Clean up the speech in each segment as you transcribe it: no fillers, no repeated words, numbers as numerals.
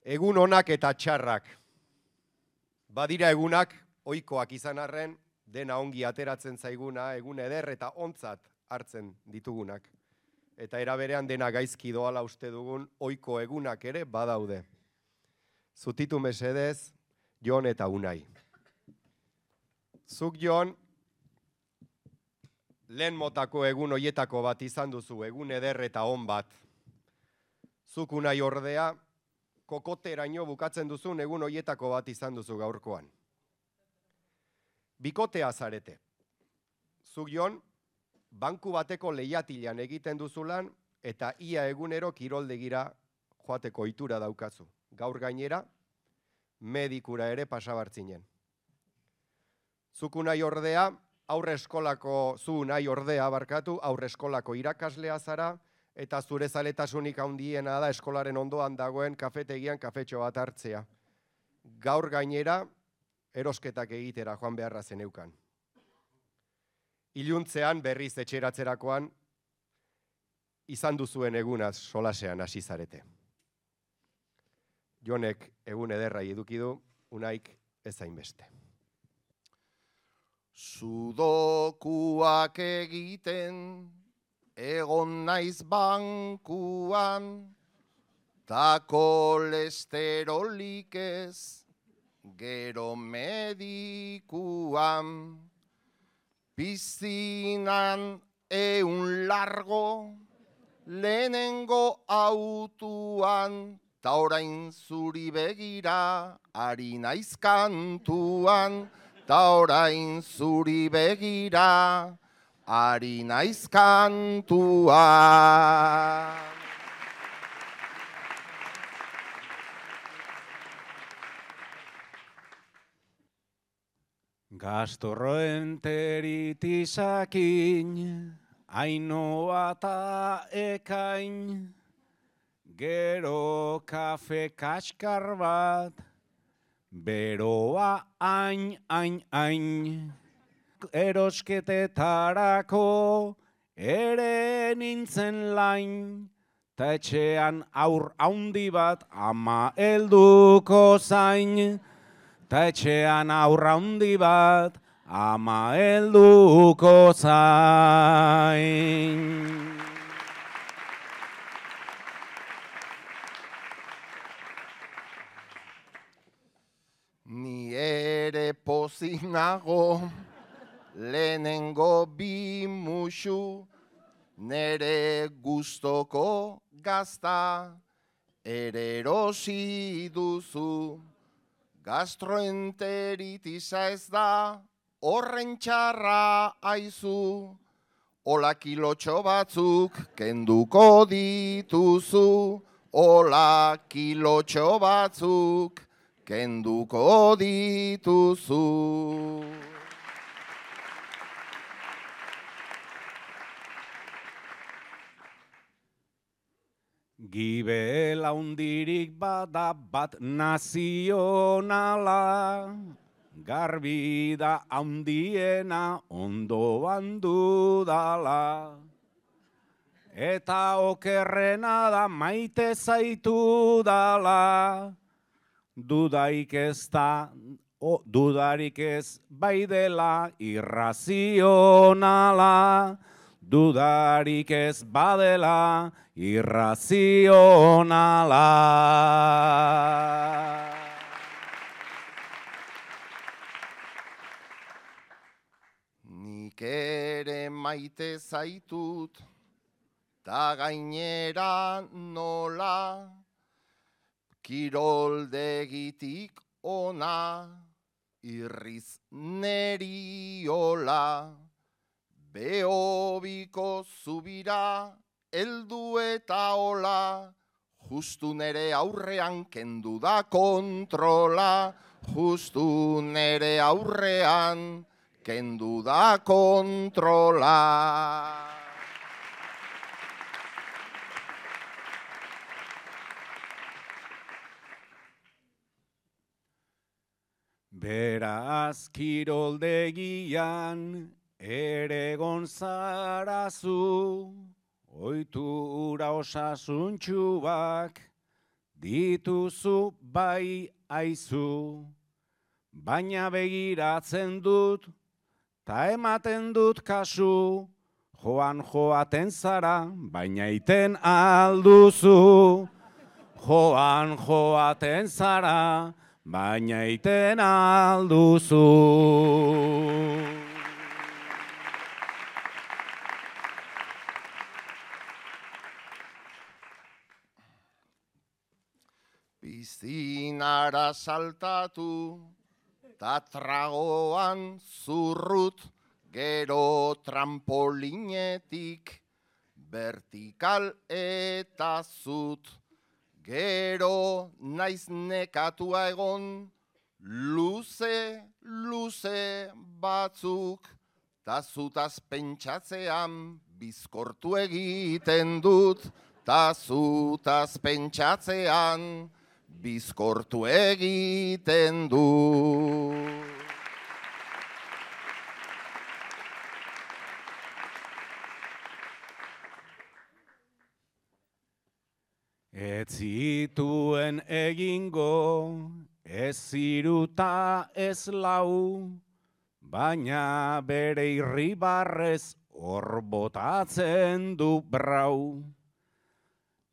Egun onak eta txarrak. Badira egunak, ohikoak izan arren, dena ongi ateratzen zaiguna, egun eder eta ontzat hartzen ditugunak. Eta era berean dena gaizki doala uste dugun, ohiko egunak ere badaude. Zutitu mesedez, Jon eta Unai. Zuk, Jon, lehen motako egun hoietako bat izan duzu, egun eder eta on bat. Zuk, Unai, ordea, kokoteraino bukatzen duzun egun hoietako bat izan duzu gaurkoan. Bikotea zarete. Zuk, Jon, banku bateko lehiatilan egiten duzulan eta ia egunero kiroldegira joateko ohitura daukazu. Gaur gainera, medikura ere pasabartzinen. Zuk, Unai, ordea, aurre eskolako irakaslea zara, eta zure zaletasunik handiena da eskolaren ondoan dagoen kafetegian kafetxo bat hartzea. Gaur gainera, erosketak egitera joan beharra zeneukan. Iluntzean berriz etxeratzerakoan, izan duzuen egunaz solasean hasi zarete. Jonek egun ederrai eduki du, Unaik ez hainbeste. Sudokuak egiten egon naiz bankuan, ta kolesterolik ez, gero medikuan. Pizzinan largo, lehenengo autuan, ta orain zuri begira, ari naiz kantuan, ta orain zuri begira, ari naiz kantuan. Gastroenteritisakin, Ainoa eta Ekain, gero kafe kaskar bat, beroa hain. Erosketetarako ere nintzen lain, ta etxean aur haundi bat ama helduko zain. Ta etxean aur haundi bat ama helduko zain. Ni ere pozinago, lehenengo bi musu, nere gustoko gazta, ere erosi duzu. Gastroenteritisa ez da, horren txarra aizu, hola kilotxo batzuk kenduko dituzu, hola kilotxo batzuk kenduko dituzu. Gibela hundirik bada bat nazionala, garbi da handiena ondoan dudala. Eta okerrena da maite zaitu dala, dudarik ez bai dela irrazionala, dudarik ez badela irrazionala. Nik ere maite zaitut, ta gainera nola, kiroldegitik ona, irriz neriola. Behobiko zubira, heldu eta hola, justu nere aurrean kendu da kontrola, justu nere aurrean kendu da kontrola. Beraz kiroldegian ere gonzarazu, ohitura osasuntsuak dituzu bai aizu, baina begiratzen dut, ta ematen dut kasu, joaten zara, baina iten alduzu. Joaten zara, baina iten alduzu. Piszinara saltatu, ta tragoan zurrut, gero trampolinetik, vertikal eta zut. Gero naiz nekatua egon, luze batzuk, ta zutaz pentsatzean bizkortu egiten dut, ta zutaz pentsatzean bizkortu egiten dut. Ez zituen egingo, ez ziruta ez lau, baina bere irribarrez hor botatzen du brau.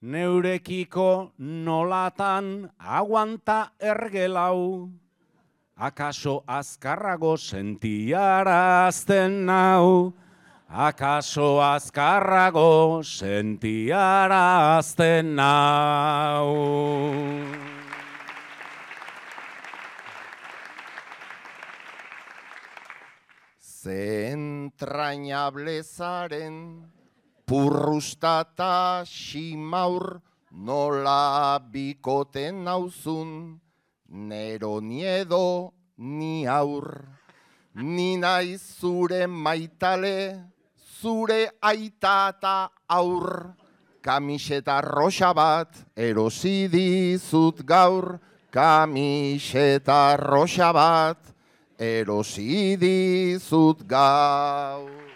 Neurekiko nolatan aguanta ergelau, akaso azkarrago sentiarazten nau. Akaso azkarrago sentiarazten nau. Ze entrañable zaren, purrustata ximaur, nola bikoten nauzun, nero niedo ni aur. Ni naiz zure maitale, zure aita eta aur, kamiseta roxa bat erosi dizut gaur, kamiseta roxa bat erosi dizut gaur.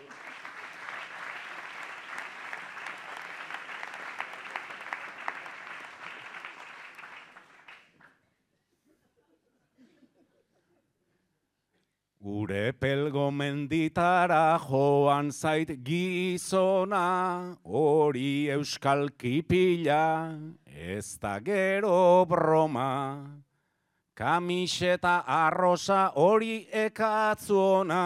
Gure pelgo menditara joan zait gizona, hori euskal kipila, ez da gero broma. Kamiseta arrosa hori ekatzuona,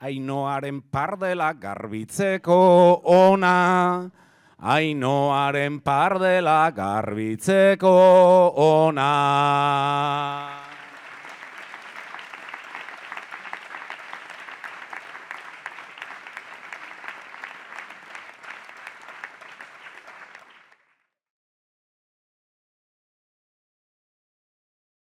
Ainoaren pardela garbitzeko ona, Ainoaren pardela garbitzeko ona.